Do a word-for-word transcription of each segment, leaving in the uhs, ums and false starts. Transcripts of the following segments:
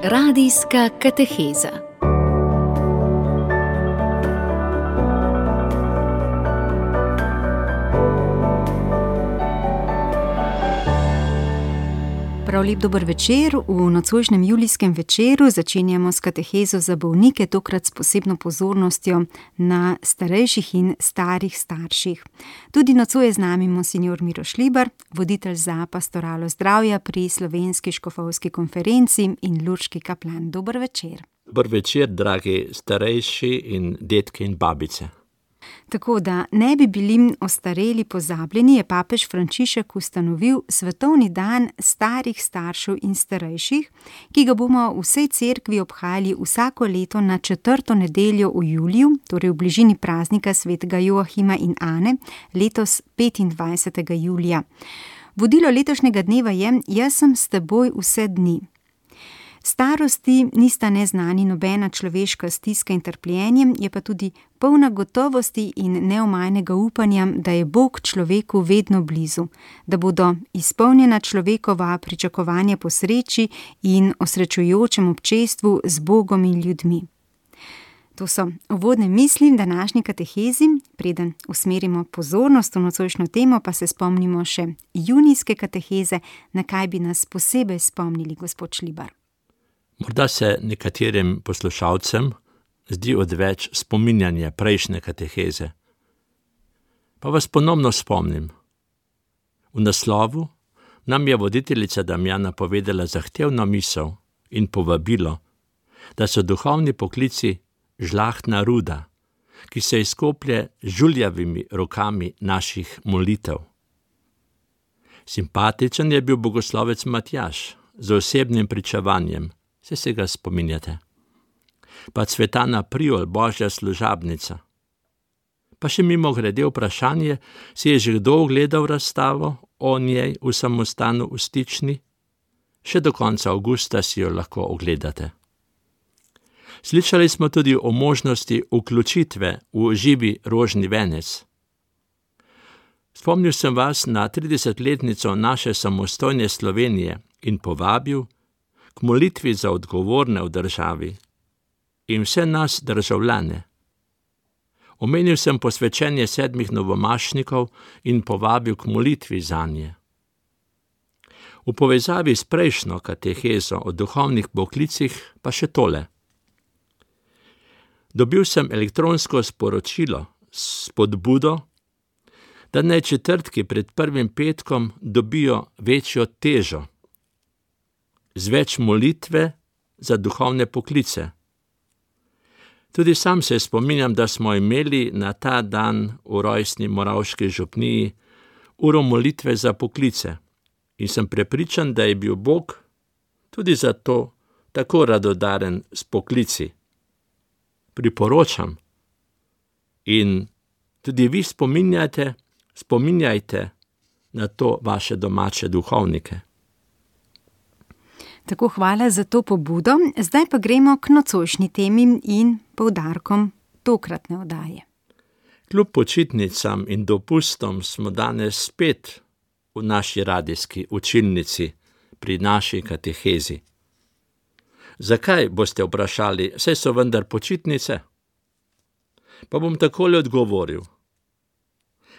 Radijska kateheza. Prav lep dober večer. V nocojšnjem julijskem večeru začenjamo s katehezo za bolnike, tokrat s posebno pozornostjo na starejših in starih starših. Tudi nocoj je z nami monsignor Miro Šlibar, voditelj za pastoralo zdravja pri Slovenski škofovski konferenci in lurški kaplan. Dober večer. Dober večer, dragi starejši in detke in babice. Tako da ne bi bili ostareli pozabljeni, je papež Frančišek ustanovil svetovni dan starih staršev in starejših, ki ga bomo v vsej cerkvi obhajali vsako leto na četrto nedeljo v juliju, torej v bližini praznika svetega Joahima in Ane, letos petindvajsetega julija. Vodilo letošnjega dneva je: Jaz sem s teboj vse dni. Starosti nista neznani nobena človeška stiska in trpljenje, je pa tudi polna gotovosti in neomajnega upanja, da je Bog človeku vedno blizu, da bodo izpolnjena človekova pričakovanja po sreči in osrečujočem občestvu z Bogom in ljudmi. To so uvodne misli današnji katehezi. Preden usmerimo pozornost v nocojšnjo temo, pa se spomnimo še junijske kateheze, na kaj bi nas posebej spomnili, gospod Šlibar. Morda se nekaterim poslušalcem zdi odveč spominjanje prejšnje kateheze. Pa vas ponovno spomnim. V naslovu nam je voditeljica Damjana povedala zahtevno misel in povabilo, da so duhovni poklici žlahtna ruda, ki se izkoplje z žuljavimi rokami naših molitev. Simpatičen je bil bogoslovec Matjaž z osebnim pričevanjem, se se ga spominjate. Pa Cvetana Priol, božja služabnica. Pa še mimo grede vprašanje, si je že kdo ogledal razstavo o njej v samostanu v Stični? Še do konca avgusta si jo lahko ogledate. Slišali smo tudi o možnosti vključitve v živi rožni venec. Spomnil sem vas na tridesetletnico naše samostojne Slovenije in povabil k molitvi za odgovorne v državi in vse nas državljane. Omenil sem posvečenje sedmih novomašnikov in povabil k molitvi zanje. V povezavi s prejšnjo katehezo o duhovnih poklicih pa še tole. Dobil sem elektronsko sporočilo s spodbudo, da naj četrtki pred prvim petkom dobijo večjo težo, z več molitve za duhovne poklice. Tudi sam se spominjam, da smo imeli na ta dan v rojstni Moravški župniji uro molitve za poklice in sem prepričan, da je bil Bog tudi zato tako radodaren s poklici. Priporočam in tudi vi spominjate, spominjajte na to vaše domače duhovnike. Tako, hvala za to pobudo. Zdaj pa gremo k nocojšnji temi in poudarkom tokratne oddaje. Kljub počitnicam in dopustom smo danes spet v naši radijski učilnici pri naši katehezi. Zakaj, boste vprašali, saj so vendar počitnice? Pa bom takole odgovoril.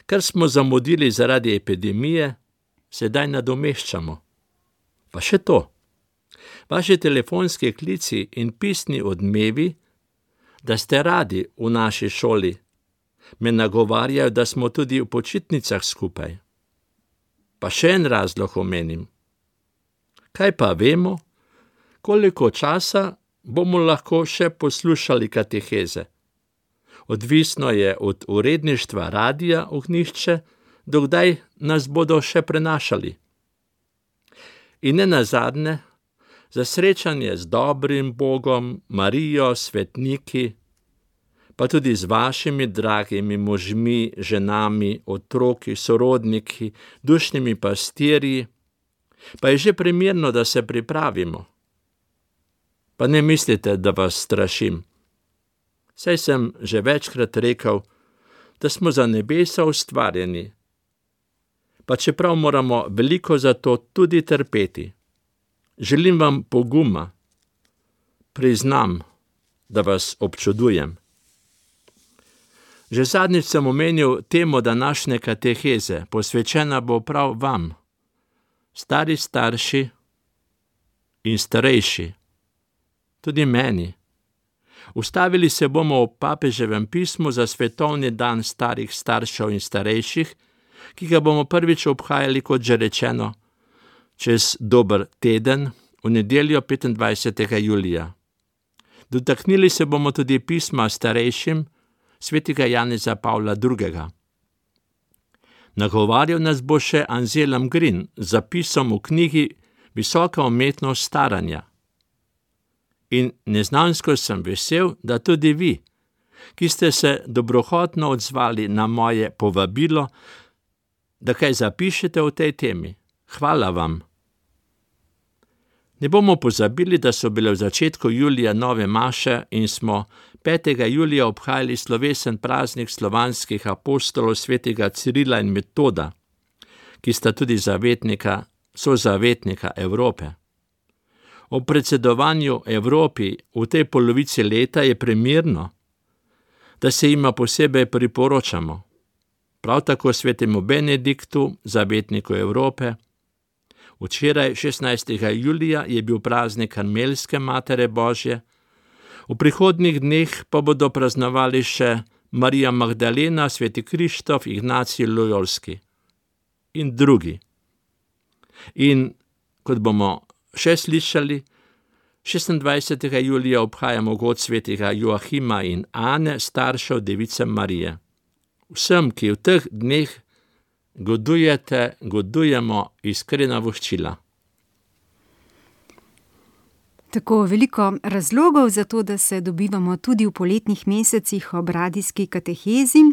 Kar smo zamudili zaradi epidemije, sedaj nadomeščamo. Pa še to. Vaši telefonski klici in pisni odmevi, da ste radi v naši šoli, me nagovarjajo, da smo tudi v počitnicah skupaj. Pa še en razlog omenim. Kaj pa vemo, koliko časa bomo lahko še poslušali kateheze? Odvisno je od uredništva Radia Ognjišče, dokdaj nas bodo še prenašali. In ne nazadnje, za srečanje z dobrim Bogom, Marijo, svetniki, pa tudi z vašimi dragimi možmi, ženami, otroki, sorodniki, dušnimi pastirji, pa je že primerno, da se pripravimo. Pa ne mislite, da vas strašim. Saj sem že večkrat rekel, da smo za nebesa ustvarjeni, pa čeprav moramo veliko za to tudi trpeti. Želim vam poguma, priznam, da vas občudujem. Že zadnjič sem omenil temo današnje kateheze, posvečena bo prav vam, stari starši in starejši, tudi meni. Ustavili se bomo v papeževem pismu za svetovni dan starih staršev in starejših, ki ga bomo prvič obhajali, kot že rečeno, čez dober teden, v nedeljo petindvajsetega julija. Dotaknili se bomo tudi pisma starejšim svetega Janeza Pavla drugega. Nagovarjal nas bo še Anselm Green z zapisom v knjigi Visoka umetnost staranja. In neznansko sem vesel, da tudi vi, ki ste se dobrohotno odzvali na moje povabilo, da kaj zapišete o tej temi. Hvala vam. Ne bomo pozabili, da so bile v začetku julija nove maše in smo petega julija obhajali slovesen praznik slovanskih apostolov svetega Cirila in Metoda, ki sta tudi zavetnika, sozavetnika Evrope. O predsedovanju Evropi v tej polovici leta je primerno, da se jima posebej priporočamo. Prav tako svetemu Benediktu, zavetniku Evrope. Včeraj, šestnajstega julija, je bil praznik Karmelske Matere Božje, v prihodnjih dneh pa bodo praznovali še Marija Magdalena, sveti Krištof, Ignacij Lojolski in drugi. In, kot bomo še slišali, šestindvajsetega julija obhajamo god svetega Joachima in Ane, staršev device Marije. Vsem, ki v teh dneh godujete, godujemo iskrena voščila. Tako veliko razlogov za to, da se dobivamo tudi v poletnih mesecih ob radijski katehezi,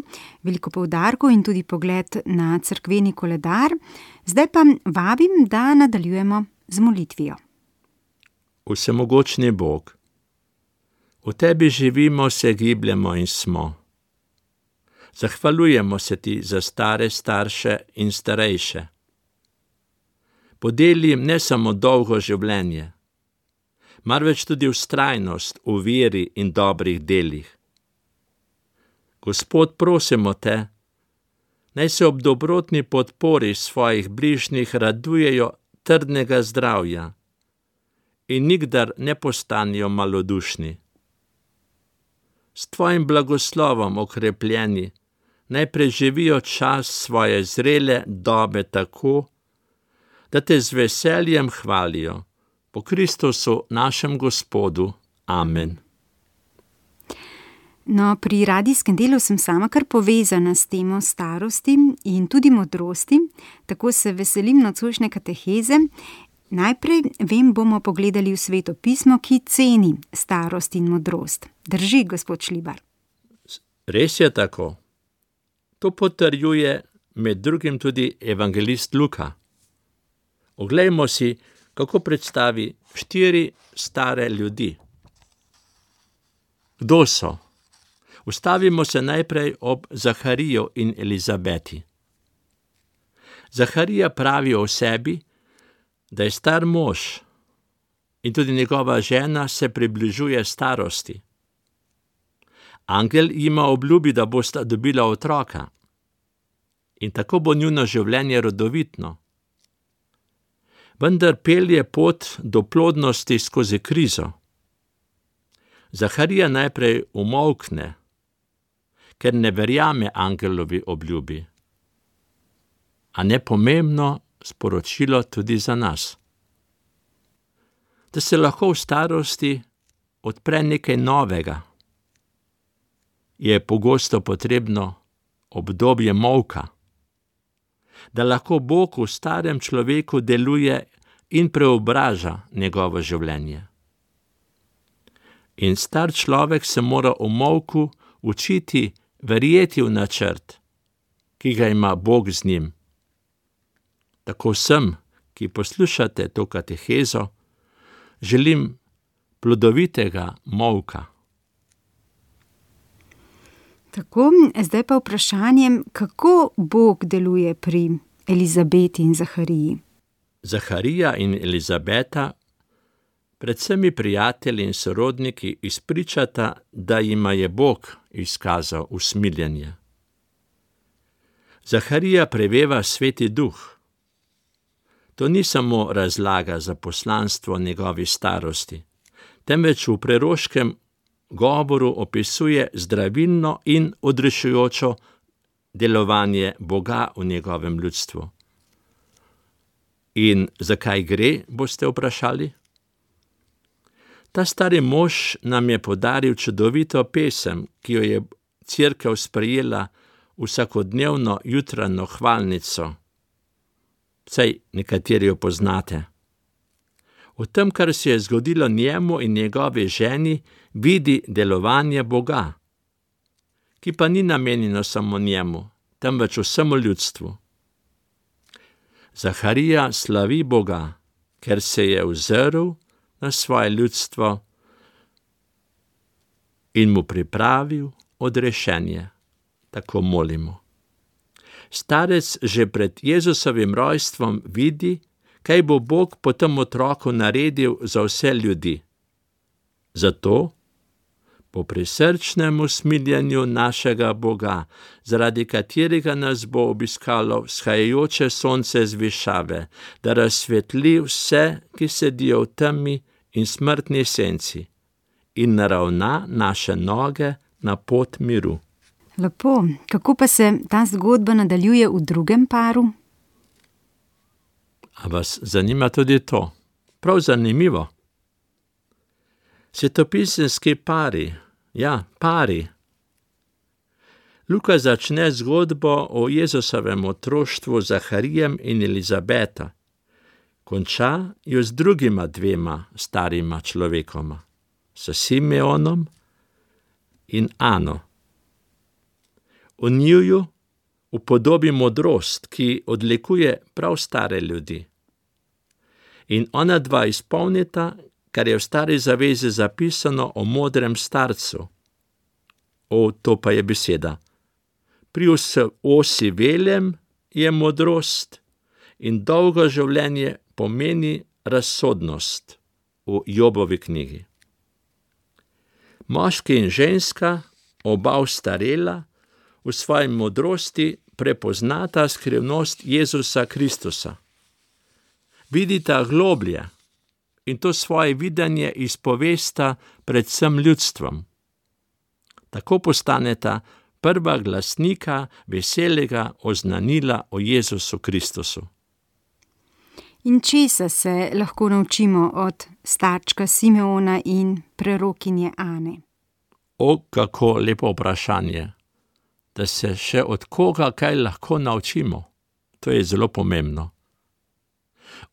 veliko poudarkov in tudi pogled na cerkveni koledar. Zdaj pa vabim, da nadaljujemo z molitvijo. Vsemogočni Bog, v tebi živimo, se gibljemo in smo. Zahvaljujemo se ti za stare starše in starejše. Podeli jim ne samo dolgo življenje, marveč tudi vztrajnost v veri in dobrih delih. Gospod, prosimo te, naj se ob dobrotni podpori svojih bližnjih radujejo trdnega zdravja in nikdar ne postanejo malodušni. S tvojim blagoslovom okrepljeni, naj preživijo čas svoje zrele dobe tako, da te z veseljem hvalijo. Po Kristusu, našem Gospodu. Amen. No, pri radijskem delu sem sama kar povezana s temo starosti in tudi modrosti, tako se veselim nocojšnje kateheze. Najprej, vem, bomo pogledali v Sveto pismo, ki ceni starost in modrost. Drži, gospod Šlibar? Res je tako. To potrjuje med drugim tudi evangelist Luka. Oglejmo si, kako predstavi štiri stare ljudi. Kdo so? Ustavimo se najprej ob Zahariju in Elizabeti. Zaharija pravi o sebi, da je star mož in tudi njegova žena se približuje starosti. Angel jima obljubi, da bosta dobila otroka in tako bo njuno življenje rodovitno. Vendar pelje pot do plodnosti skozi krizo. Zaharija najprej umolkne, ker ne verjame angelovi obljubi. A nepomembno sporočilo tudi za nas. Da se lahko v starosti odpre nekaj novega, je pogosto potrebno obdobje molka, da lahko Bog v starem človeku deluje in preobraža njegovo življenje. In star človek se mora v molku učiti verjeti v načrt, ki ga ima Bog z njim. Tako vsem, ki poslušate to katehezo, želim plodovitega molka. Tako, zdaj pa vprašanje, kako Bog deluje pri Elizabeti in Zahariji? Zaharija in Elizabeta Predvsem prijatelji in sorodniki izpričata, da jima je Bog izkazal usmiljenje. Zaharija preveva Sveti Duh. To ni samo razlaga za poslanstvo njegovi starosti, temveč v preroškem govoru opisuje zdravilno in odrešujočo delovanje Boga v njegovem ljudstvu. In zakaj gre, boste vprašali? Ta stari mož nam je podaril čudovito pesem, ki jo je Cerkev sprejela vsakodnevno jutranjo hvalnico. Saj nekateri jo poznate. V tem, kar se je zgodilo njemu in njegovi ženi, vidi delovanje Boga, ki pa ni namenjeno samo njemu, temveč vsemu ljudstvu. Zaharija slavi Boga, ker se je ozrl na svoje ljudstvo in mu pripravil odrešenje. Tako molimo. Starec že pred Jezusovim rojstvom vidi, kaj bo Bog po tem otroku naredil za vse ljudi. Zato, po prisrčnem usmiljenju našega Boga, zaradi katerega nas bo obiskalo vzhajajoče sonce z višave, da razsvetli vse, ki sedijo v temi in smrtni senci, in naravna naše noge na pot miru. Lepo, kako pa se ta zgodba nadaljuje v drugem paru? A vas zanima tudi to? Prav zanimivo. Svetopisemski pari, ja, pari. Luka začne zgodbo o Jezusovem otroštvu z Zaharijem in Elizabeta. Konča jo z drugima dvema starima človekoma, s Simeonom in Ano. V njiju upodobi modrost, ki odlikuje prav stare ljudi. In ona dva izpolnita, kar je v Stari zavezi zapisano o modrem starcu. O, to pa je beseda. Pri osivelem je modrost in dolgo življenje pomeni razsodnost v Jobovi knjigi. Moški in ženska, oba ostarela, v svoji modrosti prepoznata skrivnost Jezusa Kristusa. Vidita globlje in to svoje videnje izpovesta predvsem ljudstvom. Tako postaneta prva glasnika veselega oznanila o Jezusu Kristusu. In česa se lahko naučimo od starčka Simeona in prerokinje Ane? O, kako lepo vprašanje, da se še od koga kaj lahko naučimo. To je zelo pomembno.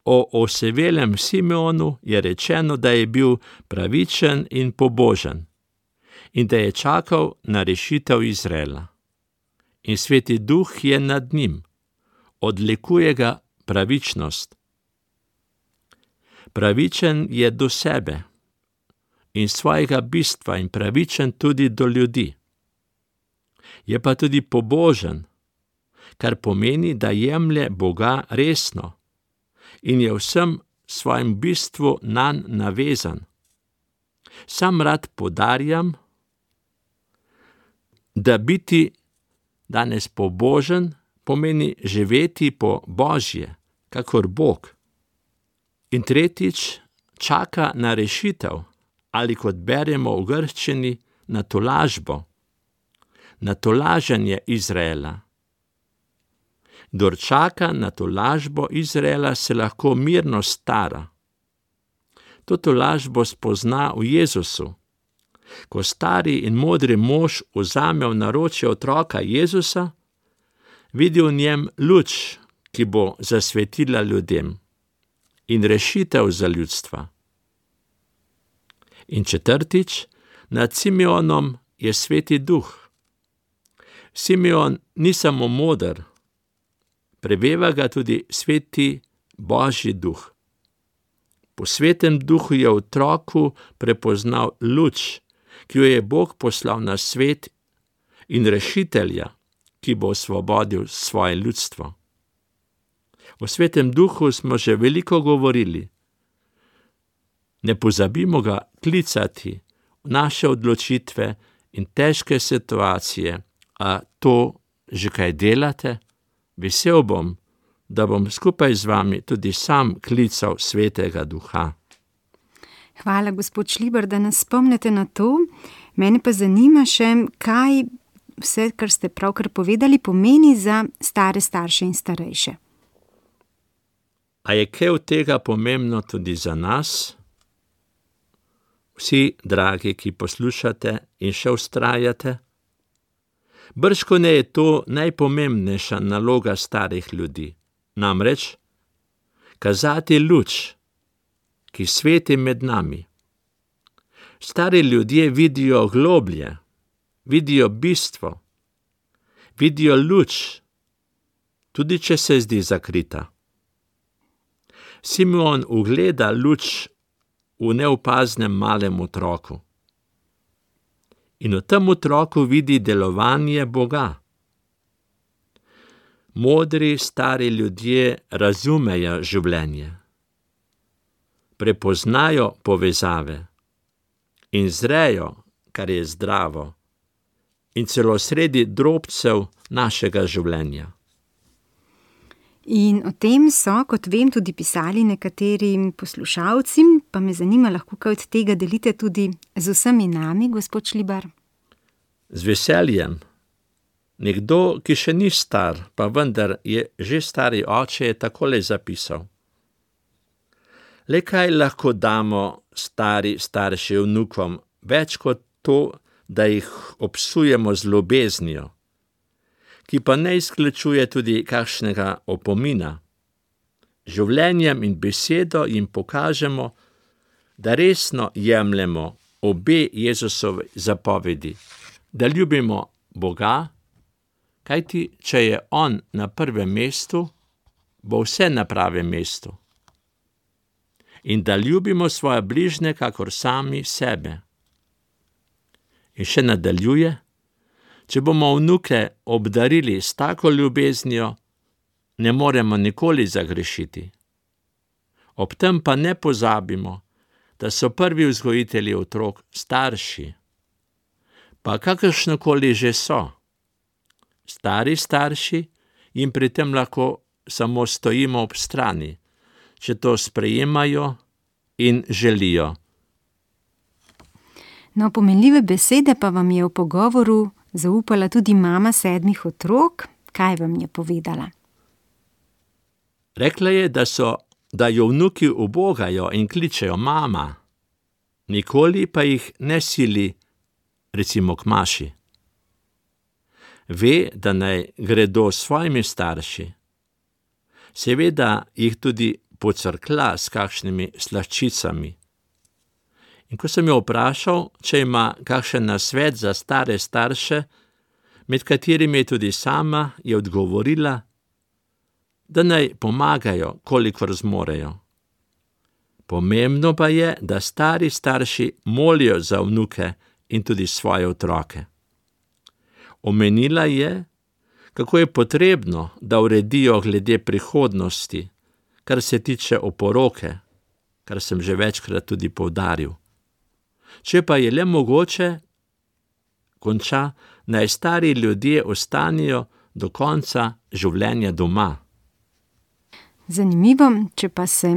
O osevelem Simeonu je rečeno, da je bil pravičen in pobožen in da je čakal na rešitev Izraela. In Sveti Duh je nad njim, odlikuje ga pravičnost. Pravičen je do sebe in svojega bistva in pravičen tudi do ljudi. Je pa tudi pobožen, kar pomeni, da jemlje Boga resno in je vsem svojim bistvu nanj navezan. Sam rad podarjam, da biti danes pobožen pomeni živeti po Božje, kakor Bog. In tretjič, čaka na rešitev, ali kot beremo v grščini, na tolažbo, na tolaženje Izraela. Kdor čaka na tolažbo Izraela, se lahko mirno stara. To tolažbo spozna v Jezusu. Ko stari in modri mož vzame v naročje otroka Jezusa, vidi v njem luč, ki bo zasvetila ljudem, in rešitev za ljudstva. In četrtič, nad Simeonom je Sveti Duh. Simeon ni samo moder, preveva ga tudi Sveti Božji Duh. Po Svetem Duhu je v otroku prepoznal luč, ki jo je Bog poslal na svet, in rešitelja, ki bo osvobodil svoje ljudstvo. O Svetem Duhu smo že veliko govorili. Ne pozabimo ga klicati v naše odločitve in težke situacije. A to že kaj delate? Vesel bom, da bom skupaj z vami tudi sam klical Svetega Duha. Hvala, gospod Šlibar, da nas spomnite na to. Mene pa zanima še, kaj vse, kar ste pravkar povedali, pomeni za stare starše in starejše. A je kaj od tega pomembno tudi za nas? Vsi, dragi, ki poslušate in še vztrajate? Bržkone je to najpomembnejša naloga starih ljudi, namreč kazati luč, ki sveti med nami. Stari ljudje vidijo globlje, vidijo bistvo, vidijo luč, tudi če se zdi zakrita. Simeon ugleda luč v neopaznem malem otroku. In v tem otroku vidi delovanje Boga. Modri stari ljudje razumejo življenje, prepoznajo povezave in zrejo, kar je zdravo, in celo sredi drobcev našega življenja. In o tem so, kot vem, tudi pisali nekateri poslušalci, pa me zanima, lahko kaj od tega delite tudi z vsemi nami, gospod Šlibar? Z veseljem. Nekdo, ki še ni star, pa vendar je že stari oče, je takole zapisal. Le kaj lahko damo stari starši vnukom, več kot to, da jih obsujemo z ljubeznijo, ki pa ne izključuje tudi kakšnega opomina. Življenjem in besedo jim pokažemo, da resno jemljemo obe Jezusove zapovedi, da ljubimo Boga, kajti če je On na prvem mestu, bo vse na pravem mestu. In da ljubimo svoje bližnje kakor sami sebe. In še nadaljuje, če bomo vnuke obdarili s tako ljubeznijo, ne moremo nikoli zagrešiti. Ob tem pa ne pozabimo, da so prvi vzgojitelji otrok starši, pa kakršnokoli že so. Stari starši jim pri tem lahko samo stojimo ob strani, če to sprejemajo in želijo. No, pomenljive besede pa vam je v pogovoru zaupala tudi mama sedmih otrok. Kaj vam je povedala? Rekla je, da so, da jo vnuki ubogajo in kličejo mama, nikoli pa jih ne sili, recimo k maši. Ve, da naj gredo s svojimi starši. Seveda jih tudi pocrkla s kakšnimi slaščicami. In ko sem jo vprašal, če ima kakšen nasvet za stare starše, med katerimi je tudi sama, je odgovorila, da naj pomagajo, kolikor zmorejo. Pomembno pa je, da stari starši molijo za vnuke in tudi svoje otroke. Omenila je, kako je potrebno, da uredijo glede prihodnosti, kar se tiče oporoke, kar sem že večkrat tudi poudaril. Če pa je le mogoče, konča, naj stari ljudje ostanijo do konca življenja doma. Zanimivo, če pa se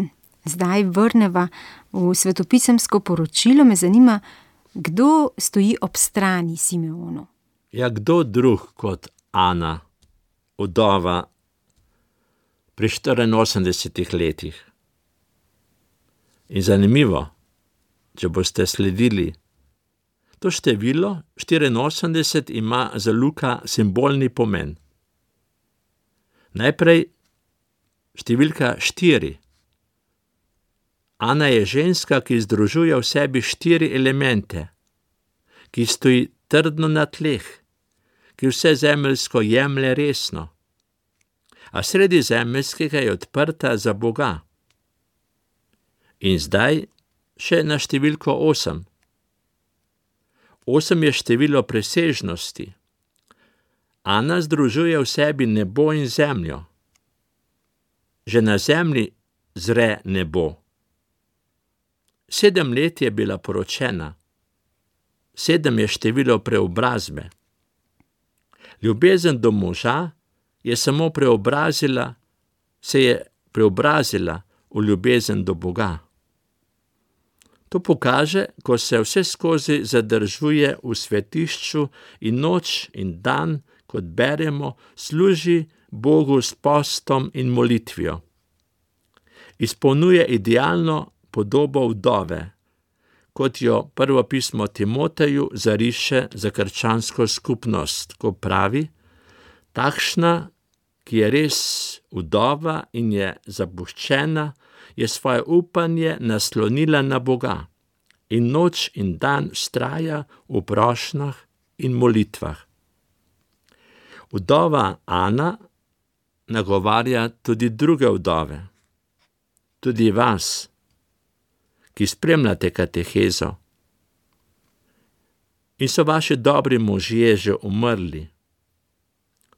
zdaj vrneva v svetopisemsko poročilo, me zanima, kdo stoji ob strani Simeonu. Ja, kdo drug kot Ana, vdova pri štiriinosemdesetih letih. In zanimivo, če boste sledili, to število štiriinosemdeset ima za Luka simbolni pomen. Najprej številka štiri. Ana je ženska, ki združuje v sebi štiri elemente, ki stoji trdno na tleh, ki vse zemeljsko jemlje resno, a sredi zemeljskega je odprta za Boga. In zdaj še na številko osem. Osem je število presežnosti. Ana združuje v sebi nebo in zemljo. Že na zemlji zre nebo. Sedem let je bila poročena. Sedem je število preobrazbe. Ljubezen do moža je samo preobrazila, se je preobrazila v ljubezen do Boga. To pokaže, ko se vse skozi zadržuje v svetišču in noč in dan, kot beremo, služi Bogu s postom in molitvijo. Izpolnjuje idealno podobo vdove, kot jo prvo pismo Timoteju zariše za krščansko skupnost, ko pravi, takšna, ki je res vdova in je zapuščena, je svoje upanje naslonila na Boga in noč in dan vztraja v prošnjah in molitvah. Vdova Ana nagovarja tudi druge vdove, tudi vas, ki spremljate katehezo. In so vaši dobri možje že umrli.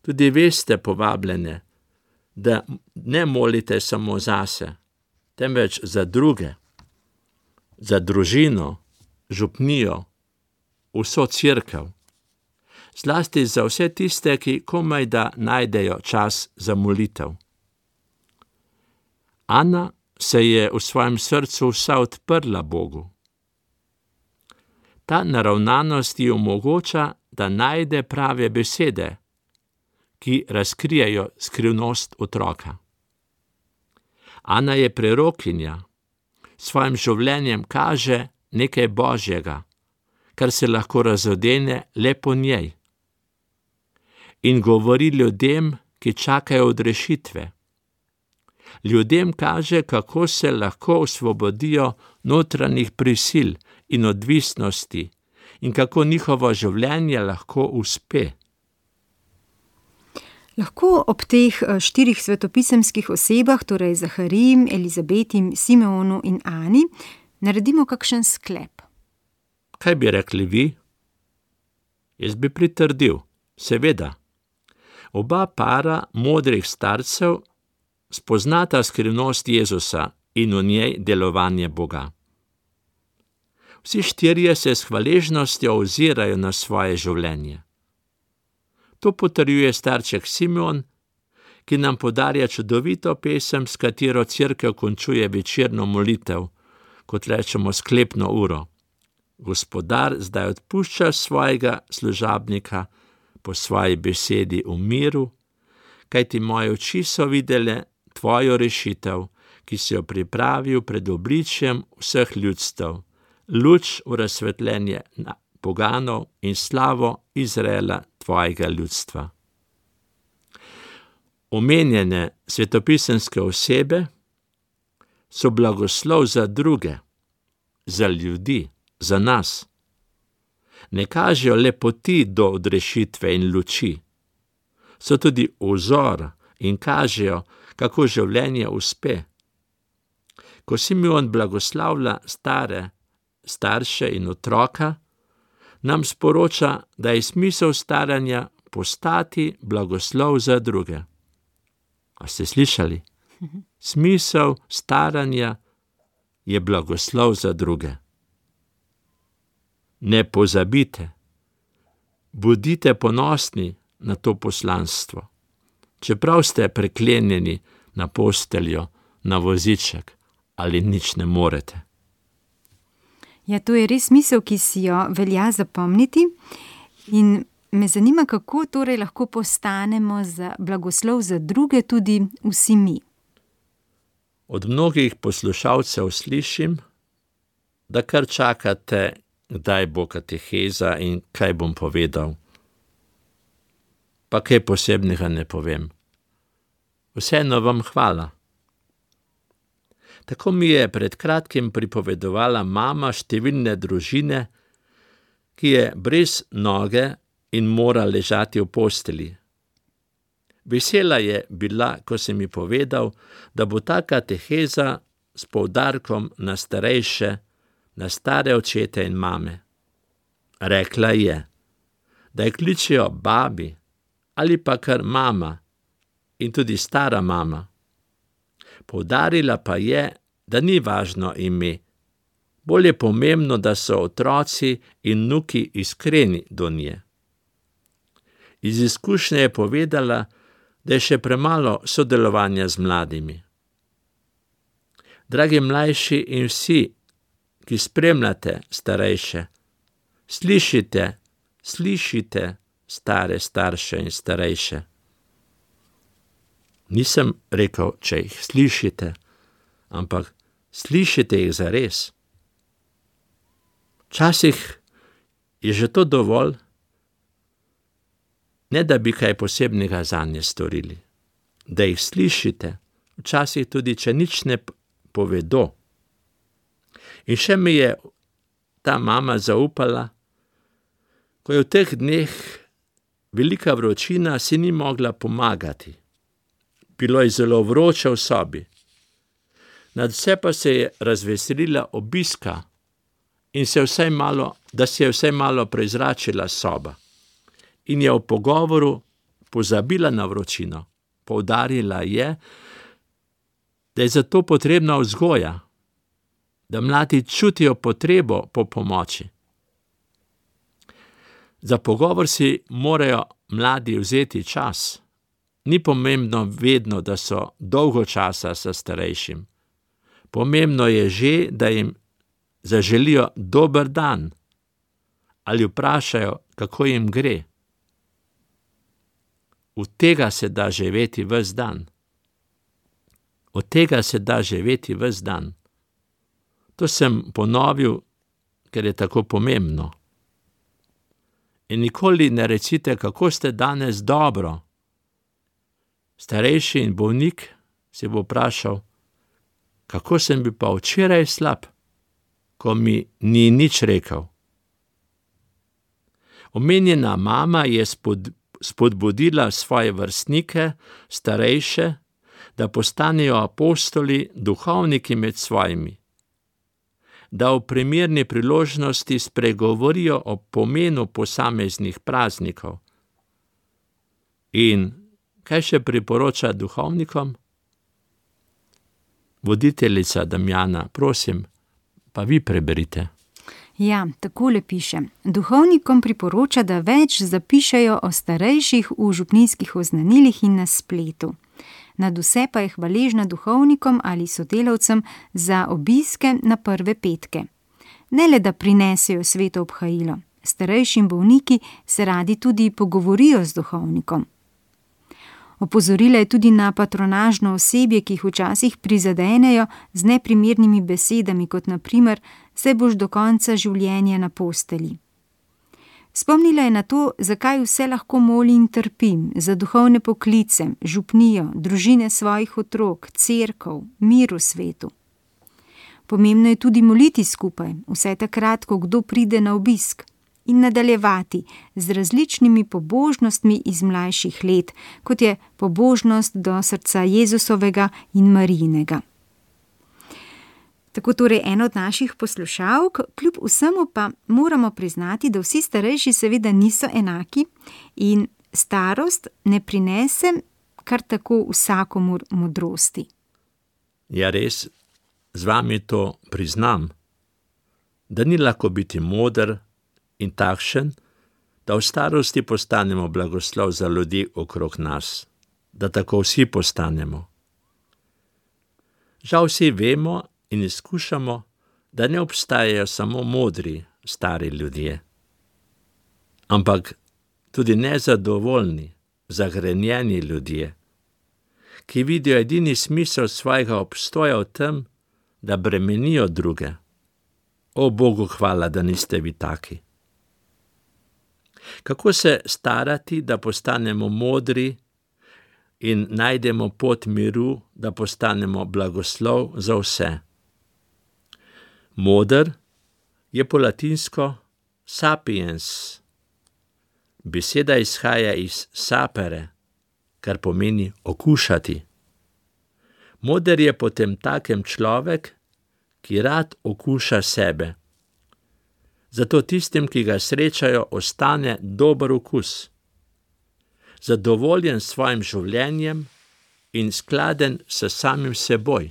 Tudi veste povabljene, da ne molite samo zase, temveč za druge, za družino, župnijo, vso cerkev, zlasti za vse tiste, ki komaj da najdejo čas za molitev. Ana se je v svojem srcu vsa odprla Bogu. Ta naravnanost ji omogoča, da najde prave besede, ki razkrijejo skrivnost otroka. Ana je prerokinja, s svojim življenjem kaže nekaj božjega, kar se lahko razodene le po njej. In govori ljudem, ki čakajo odrešitve. Ljudem kaže, kako se lahko osvobodijo notranjih prisil in odvisnosti in kako njihovo življenje lahko uspe. Lahko ob teh štirih svetopisemskih osebah, torej Zahariji, Elizabeti, Simeonu in Ani, naredimo kakšen sklep. Kaj bi rekli vi? Jaz bi pritrdil, seveda. Oba para modrih starcev spoznata skrivnost Jezusa in v njej delovanje Boga. Vsi štirje se s hvaležnostjo ozirajo na svoje življenje. To potrjuje starček Simeon, ki nam podarja čudovito pesem, s katero cerkev končuje večerno molitev, kot rečemo sklepno uro. Gospodar zdaj odpušča svojega služabnika po svoji besedi v miru, kajti moje oči so videle tvojo rešitev, ki si jo pripravil pred obličjem vseh ljudstev, luč v razsvetljenje poganov in slavo Izraela, tvojega ljudstva. Omenjene svetopisemske osebe so blagoslov za druge, za ljudi, za nas. Ne kažejo le poti do odrešitve in luči. So tudi vzor in kažejo, kako življenje uspe. Ko Simeon blagoslavlja stare, starše in otroka, nam sporoča, da je smisel staranja postati blagoslov za druge. A ste slišali? Smisel staranja je blagoslov za druge. Ne pozabite, bodite ponosni na to poslanstvo, čeprav ste preklenjeni na posteljo, na voziček ali nič ne morete. Ja, to je res misel, ki si jo velja zapomniti in me zanima, kako torej lahko postanemo za blagoslov za druge tudi vsi mi. Od mnogih poslušalcev slišim, da kar čakate, kdaj bo kateheza in kaj bom povedal. Pa kaj posebnega ne povem. Vseeno vam hvala. Tako mi je pred kratkim pripovedovala mama številne družine, ki je brez noge in mora ležati v posteli. Vesela je bila, ko sem mi povedal, da bo ta kateheza s poudarkom na starejše, na stare očete in mame. Rekla je, da je kličejo babi ali pa kar mama in tudi stara mama. Poudarila pa je, da ni važno ime, Bolj je pomembno, da so otroci in vnuki iskreni do nje. Iz izkušnje je povedala, da je še premalo sodelovanja z mladimi. Dragi mlajši in vsi, ki spremljate starejše, slišite, slišite stare starše in starejše. Nisem rekel, če jih slišite, ampak slišite jih zares. Včasih je že to dovolj, ne da bi kaj posebnega zanje storili. Da jih slišite, včasih tudi, če nič ne povedo. In še mi je ta mama zaupala, ko je v teh dneh velika vročina, si ni mogla pomagati. Bilo je zelo vroče v sobi. Nadvse pa se je razveselila obiska in se vsaj malo, da se je vsaj malo prezračila soba. In je v pogovoru pozabila na vročino. Poudarila je, da je zato potrebna vzgoja, da mladi čutijo potrebo po pomoči. Za pogovor si morajo mladi vzeti čas. Ni pomembno vedno, da so dolgo časa s starejšim. Pomembno je že, da jim zaželijo dober dan ali vprašajo, kako jim gre. Od tega se da živeti ves dan. Od tega se da živeti ves dan. To sem ponovil, ker je tako pomembno. In nikoli ne recite, kako ste danes dobro. Starejši in bolnik se bo vprašal, kako sem bil pa včeraj slab, ko mi ni nič rekel. Omenjena mama je spod, spodbudila svoje vrstnike, starejše, da postanejo apostoli, duhovniki med svojimi, da v primerni priložnosti spregovorijo o pomenu posameznih praznikov. In kaj še priporoča duhovnikom? Voditeljica Damjana, prosim, pa vi preberite. Ja, takole piše. Duhovnikom priporoča, da več zapišejo o starejših v župnijskih oznanilih in na spletu. Nadvse pa je hvaležna duhovnikom ali sodelavcem za obiske na prve petke. Ne le, da prinesejo sveto obhajilo, starejši in bolniki se radi tudi pogovorijo z duhovnikom. Opozorila je tudi na patronažno osebje, ki jih včasih prizadenejo z neprimernimi besedami, kot na primer, saj boš do konca življenja na postelji. Spomnila je na to, zakaj vse lahko molim in trpim, za duhovne poklice, župnijo, družine svojih otrok, cerkev, mir v svetu. Pomembno je tudi moliti skupaj, vsaj takrat, ko kdo pride na obisk, in nadaljevati z različnimi pobožnostmi iz mlajših let, kot je pobožnost do srca Jezusovega in Marijinega. Tako torej ena od naših poslušalk, kljub vsemu pa moramo priznati, da vsi starejši seveda niso enaki in starost ne prinese kar tako vsakomur modrosti. Ja, res, z vami to priznam, da ni lahko biti moder in takšen, da v starosti postanemo blagoslov za ljudi okrog nas, da tako vsi postanemo. Žal vsi vemo in izkušamo, da ne obstajajo samo modri, stari ljudje, ampak tudi nezadovoljni, zagrenjeni ljudje, ki vidijo edini smisel svojega obstoja v tem, da bremenijo druge. O Bogu hvala, da niste vi taki. Kako se starati, da postanemo modri in najdemo pot miru, da postanemo blagoslov za vse? Moder je po latinsko sapiens. Beseda izhaja iz sapere, kar pomeni okušati. Moder je potem takem človek, ki rad okuša sebe. Zato tistim, ki ga srečajo, ostane dober okus. Zadovoljen s svojim življenjem in skladen s samim seboj.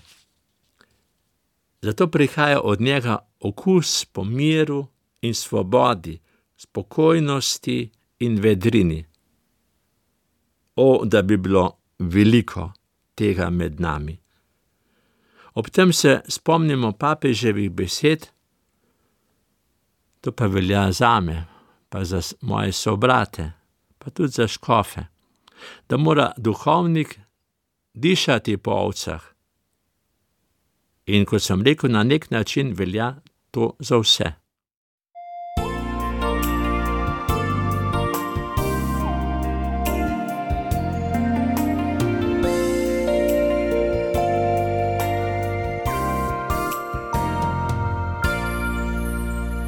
Zato prihaja od njega okus po miru in svobodi, spokojnosti in vedrini. O, da bi bilo veliko tega med nami. Ob tem se spomnimo papeževih besed, to pa velja zame, pa za moje sobrate, pa tudi za škofe, da mora duhovnik dišati po ovcah. In kot sem rekel, na nek način velja to za vse.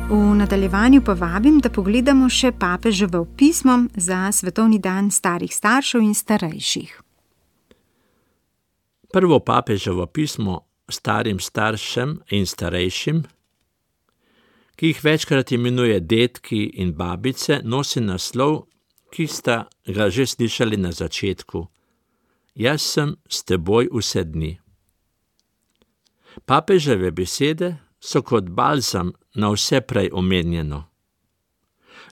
V nadaljevanju pa vabim, da pogledamo še papeževo pismo za svetovni dan starih staršev in starejših. Prvo papeževo pismo starim staršem in starejšim, ki jih večkrat imenuje dedki in babice, nosi naslov, ki sta ga že slišali na začetku. Jaz sem s teboj vse dni. Papeževe besede so kot balzam na vse prej omenjeno.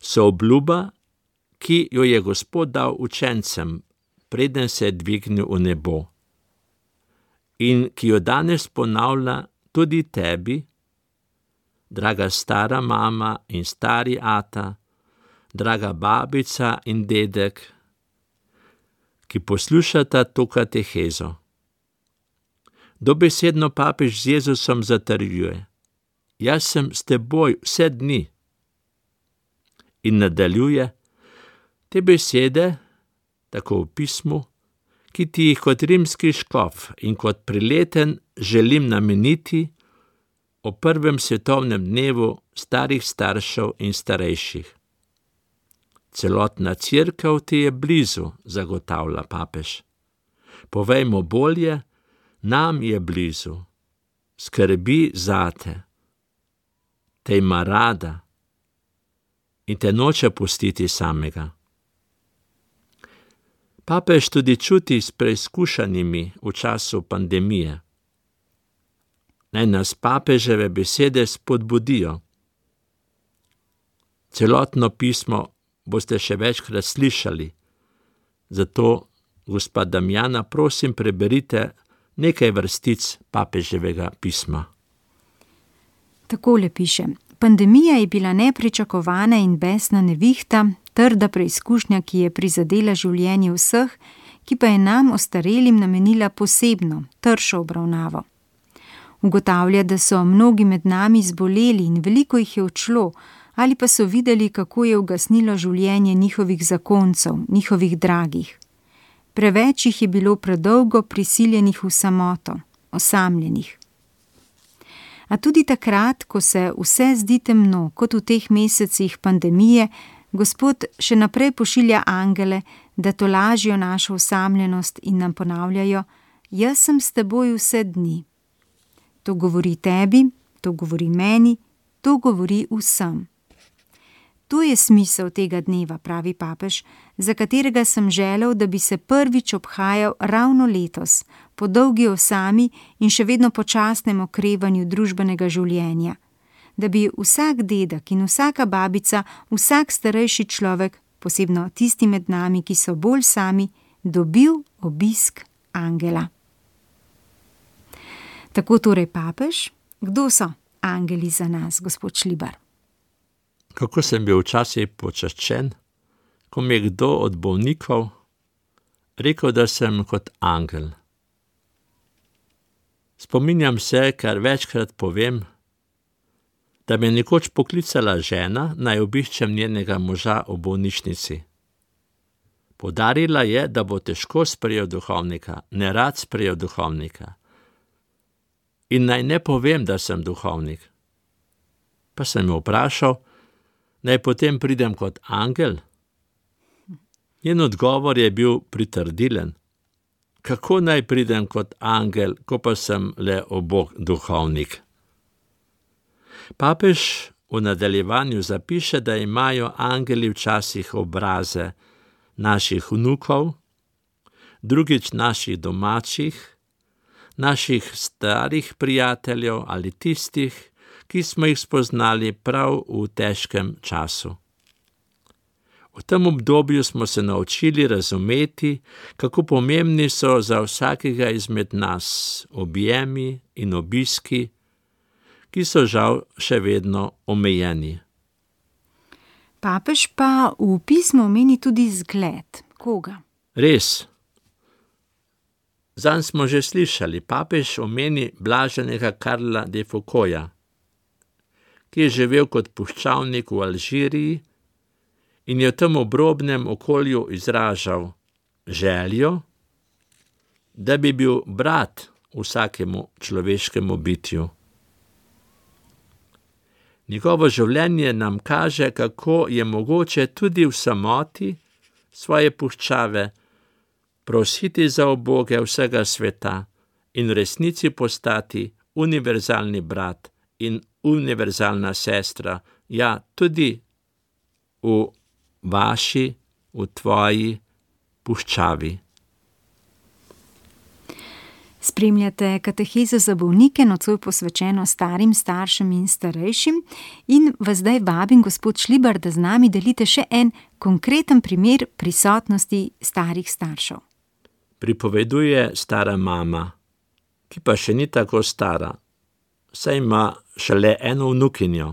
So obljuba, ki jo je Gospod dal učencem, preden se je dvignil v nebo, in ki jo danes ponavlja tudi tebi, draga stara mama in stari ata, draga babica in dedek, ki poslušata to katehezo. Dobesedno papež z Jezusom zatrjuje: Jaz sem s teboj vse dni. In nadaljuje: te besede, tako v pismu, ki ti jih kot rimski škof in kot prileten želim nameniti o prvem svetovnem dnevu starih staršev in starejših. Celotna cerkev ti je blizu, zagotavlja papež. Povejmo bolje, nam je blizu, skrbi zate, te ima rada in te noče pustiti samega. Papež tudi čuti s preizkušanimi v času pandemije. Naj nas papeževe besede spodbudijo. Celotno pismo boste še večkrat slišali, zato, gospa Damjana, prosim, preberite nekaj vrstic papeževega pisma. Takole piše: pandemija je bila nepričakovana in besna nevihta, trda preizkušnja, ki je prizadela življenje vseh, ki pa je nam, ostarelim, namenila posebno, tršo obravnavo. Ugotavlja, da so mnogi med nami zboleli in veliko jih je odšlo, ali pa so videli, kako je ugasnilo življenje njihovih zakoncev, njihovih dragih. Preveč jih je bilo predolgo prisiljenih v samoto, osamljenih. A tudi takrat, ko se vse zdi temno, kot v teh mesecih pandemije, Gospod še naprej pošilja angele, da tolažijo našo osamljenost in nam ponavljajo: jaz sem s teboj vse dni. To govori tebi, to govori meni, to govori vsem. To je smisel tega dneva, pravi papež, za katerega sem želel, da bi se prvič obhajal ravno letos, po dolgi osami in še vedno počasnem okrevanju družbenega življenja, da bi vsak dedek in vsaka babica, vsak starejši človek, posebno tisti med nami, ki so bolj sami, dobil obisk angela. Tako torej papež. Kdo so angeli za nas, gospod Šlibar? Kako sem bil včasih počaščen, ko mi je kdo od bolnikov rekel, da sem kot angel. Spominjam se, kar večkrat povem, da me je nekoč poklicala žena, naj obiščem njenega moža v bolnišnici. Poudarila je, da bo težko sprejel duhovnika, nerad sprejel duhovnika. In naj ne povem, da sem duhovnik. Pa sem jo vprašal, naj potem pridem kot angel. Njen odgovor je bil pritrdilen. Kako naj pridem kot angel, ko pa sem le obok duhovnik? Papež v nadaljevanju zapiše, da imajo angeli včasih obraze naših vnukov, drugič naših domačih, naših starih prijateljev ali tistih, ki smo jih spoznali prav v težkem času. V tem obdobju smo se naučili razumeti, kako pomembni so za vsakega izmed nas objemi in obiski, ki so žal še vedno omejeni. Papež pa v pismu omeni tudi zgled. Koga? Res. Zanj smo že slišali, papež omeni blaženega Karla de Foucaulta, ki je živel kot puščavnik v Alžiriji in je v tem obrobnem okolju izražal željo, da bi bil brat vsakemu človeškemu bitju. Njegovo življenje nam kaže, kako je mogoče tudi v samoti svoje puščave prositi za uboge vsega sveta in v resnici postati univerzalni brat in univerzalna sestra, ja, tudi v vaši, v tvoji puščavi. Spremljate katehezo za bolnike, nocoj posvečeno starim staršem in starejšim, in vas zdaj vabim, gospod Šlibar, da z nami delite še en konkreten primer prisotnosti starih staršev. Pripoveduje stara mama, ki pa še ni tako stara, saj ima šele eno vnukinjo.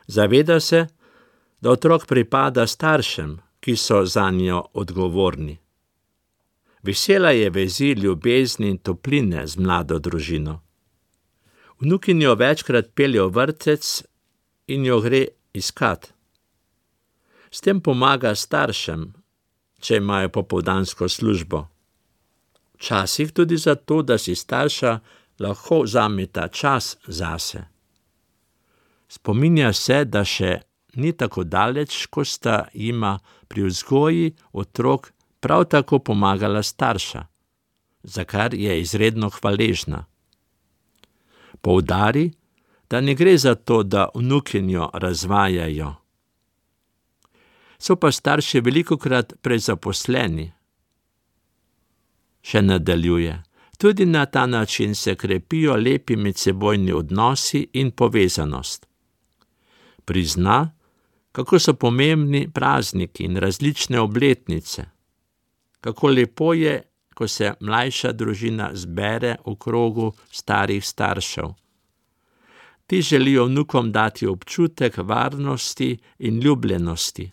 Zaveda se, da otrok pripada staršem, ki so zanjo odgovorni. Vesela je vezi ljubezni in topline z mlado družino. Vnukinjo večkrat pelje v vrtec in jo gre iskat. S tem pomaga staršem, če imajo popoldansko službo. Včasih tudi zato, da si starša lahko vzameta čas zase. Spominja se, da še ni tako daleč, ko sta jima pri vzgoji otrok prav tako pomagala starša, za kar je izredno hvaležna. Poudari, da ne gre za to, da vnukinjo razvajajo. So pa starši velikokrat prezaposleni. Še nadaljuje. Tudi na ta način se krepijo lepi medsebojni odnosi in povezanost. Prizna, kako so pomembni prazniki in različne obletnice. Kako lepo je, ko se mlajša družina zbere v krogu starih staršev. Ti želijo vnukom dati občutek varnosti in ljubljenosti.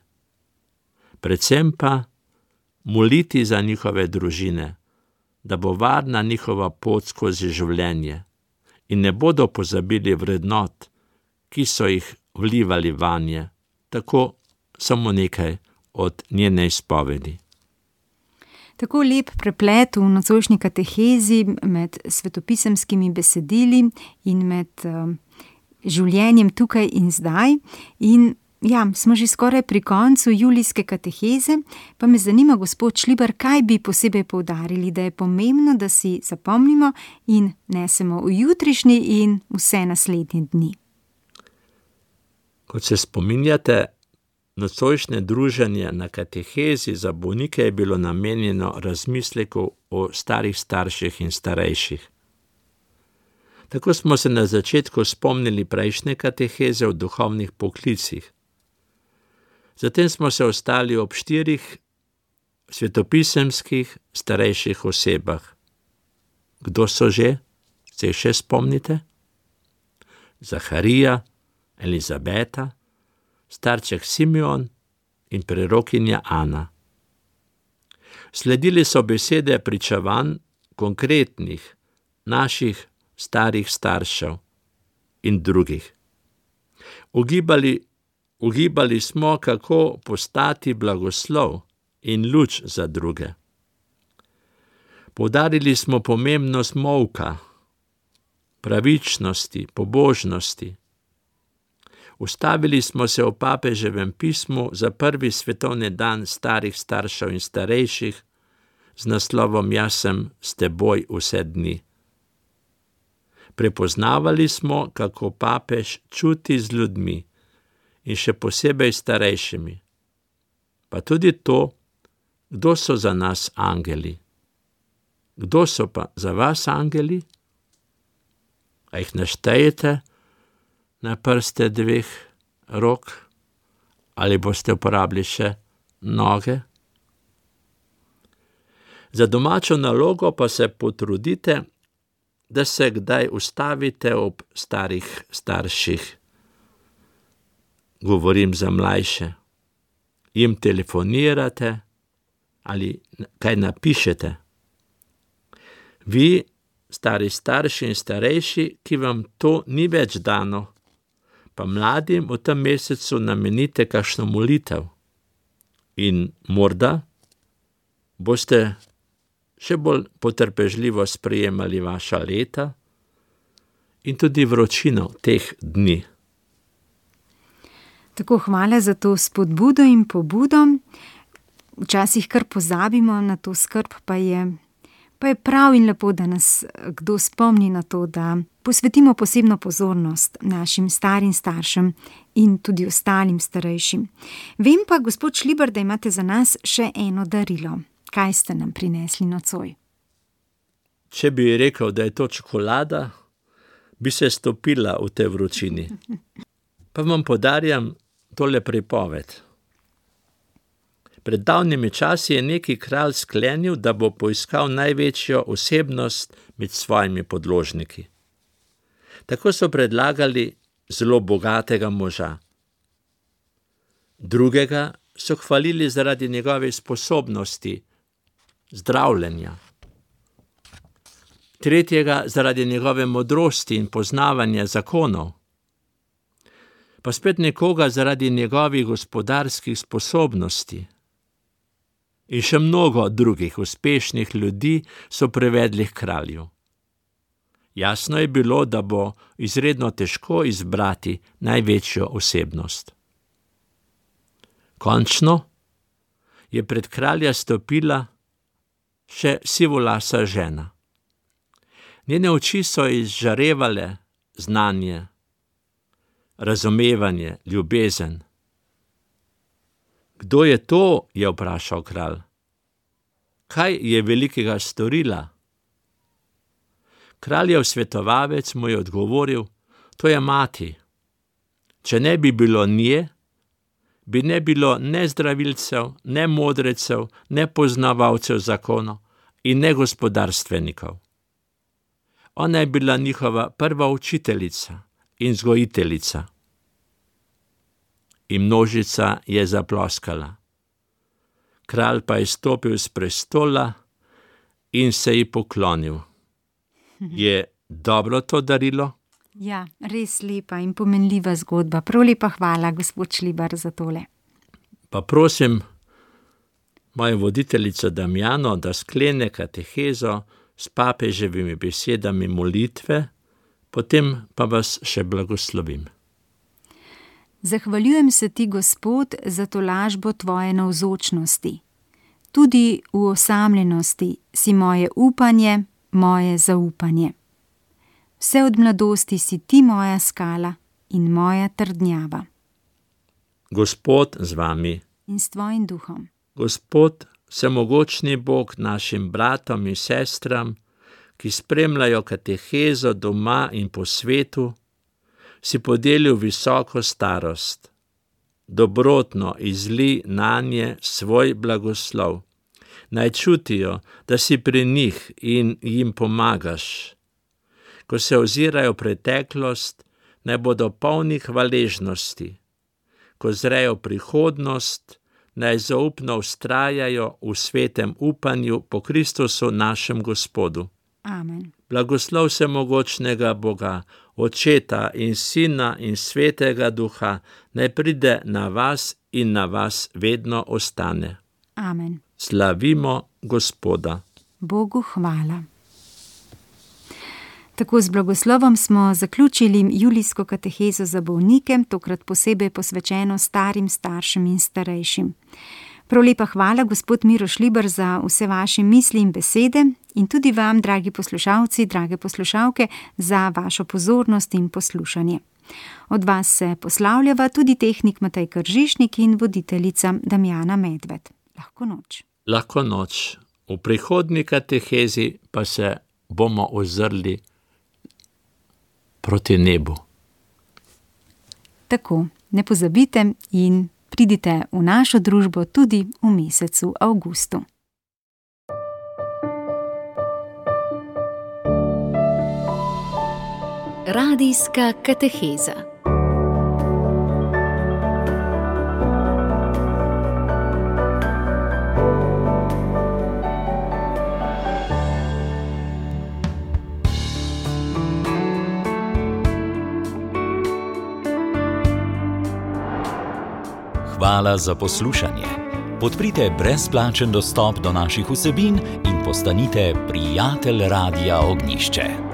Predvsem pa moliti za njihove družine, da bo varna njihova pot skozi življenje in ne bodo pozabili vrednot, ki so jih vlivali vanje. Tako samo nekaj od njene izpovedi. Tako lep preplet v nocojšnji katehezi med svetopisemskimi besedili in med uh, življenjem tukaj in zdaj. In ja, smo že skoraj pri koncu julijske kateheze, pa me zanima, gospod Šlibar, kaj bi posebej poudarili, da je pomembno, da si zapomnimo in nesemo v jutrišnji in vse naslednje dni. Kot se spominjate, nocojšnje druženje na katehezi za bolnike je bilo namenjeno razmisleku o starih starših in starejših. Tako smo se na začetku spomnili prejšnje kateheze o duhovnih poklicih. Zatem smo se ostali ob štirih svetopisemskih starejših osebah. Kdo so že? Se še spomnite? Zaharija, Elizabeta, starček Simeon in prerokinja Ana. Sledili so besede pričevanj konkretnih naših starih staršev in drugih. Ugibali, ugibali smo, kako postati blagoslov in luč za druge. Poudarili smo pomembnost molka, pravičnosti, pobožnosti. Ustavili smo se v papeževem pismu za prvi svetovni dan starih staršev in starejših z naslovom Jaz sem s teboj vse dni. Prepoznavali smo, kako papež čuti z ljudmi in še posebej starejšimi, pa tudi to, kdo so za nas angeli. Kdo so pa za vas angeli? A jih naštejete na prste dveh rok? Ali boste uporabili še noge? Za domačo nalogo pa se potrudite, da se kdaj ustavite ob starih starših. Govorim za mlajše. Jim telefonirate ali kaj napišete. Vi, stari starši in starejši, ki vam to ni več dano, pa mladim v tem mesecu namenite kakšno molitev. In morda boste še bolj potrpežljivo sprejemali vaša leta in tudi vročino teh dni. Tako, hvala za to spodbudo in pobudo. Včasih kar pozabimo na to skrb, pa je, pa je prav in lepo, da nas kdo spomni na to, da posvetimo posebno pozornost našim starim staršem in tudi ostalim starejšim. Vem pa, gospod Šlibar, da imate za nas še eno darilo. Kaj ste nam prinesli nocoj? Če bi rekel, da je to čokolada, bi se stopila v tej vročini. Pa vam podarjam tole pripoved. Pred davnimi časi je neki kralj sklenil, da bo poiskal največjo osebnost med svojimi podložniki. Tako so predlagali zelo bogatega moža. Drugega so hvalili zaradi njegove sposobnosti zdravljenja. Tretjega zaradi njegove modrosti in poznavanja zakonov. Pa spet nekoga zaradi njegovih gospodarskih sposobnosti. In še mnogo drugih uspešnih ljudi so privedli k kralju. Jasno je bilo, da bo izredno težko izbrati največjo osebnost. Končno je pred kralja stopila še sivolasa žena. Njene oči so izžarevale znanje, razumevanje, ljubezen. Kdo je to, je vprašal kralj. Kaj je velikega storila? Kraljev svetovalec mu je odgovoril, to je mati. Če ne bi bilo nje, bi ne bilo ne zdravilcev, ne modrecev, ne poznavalcev zakonov in ne gospodarstvenikov. Ona je bila njihova prva učiteljica in vzgojiteljica. In množica je zaploskala. Kralj pa je stopil s prestola in se ji poklonil. Je dobro to darilo? Ja, res lepa in pomenljiva zgodba. Prav lepa hvala, gospod Šlibar, za tole. Pa prosim mojo voditeljico Damjano, da sklene katehezo s papeževimi besedami molitve, potem pa vas še blagoslovim. Zahvaljujem se ti, Gospod, za tolažbo tvoje navzočnosti. Tudi v osamljenosti si moje upanje, moje zaupanje. Vse od mladosti si ti moja skala in moja trdnjava. Gospod z vami. In s tvojim duhom. Gospod, vsemogočni Bog našim bratom in sestram, ki spremljajo katehezo doma in po svetu, si podelil visoko starost. Dobrotno izli nanje svoj blagoslov. Naj čutijo, da si pri njih in jim pomagaš. Ko se ozirajo v preteklost, naj bodo polni hvaležnosti. Ko zrejo prihodnost, naj zaupno vztrajajo v svetem upanju po Kristusu našem Gospodu. Amen. Blagoslov vsemogočnega Boga, Očeta in Sina in Svetega Duha, naj pride na vas in na vas vedno ostane. Amen. Slavimo Gospoda. Bogu hvala. Tako z blagoslovom smo zaključili julijsko katehezo za bolnike, tokrat posebej posvečeno starim staršem in starejšim. Prav lepa hvala, gospod Miro Šlibar, za vse vaše misli in besede in tudi vam, dragi poslušalci, drage poslušalke, za vašo pozornost in poslušanje. Od vas se poslavljava tudi tehnik Matej Kržišnik in voditeljica Damjana Medved. Lahko noč. Lahko noč. V prihodnji katehezi pa se bomo ozrli proti nebu. Tako, ne pozabite in pridite v našo družbo tudi v mesecu avgustu. Radijska kateheza. Hvala za poslušanje. Podprite brezplačen dostop do naših vsebin in postanite prijatelj Radia Ognjišče.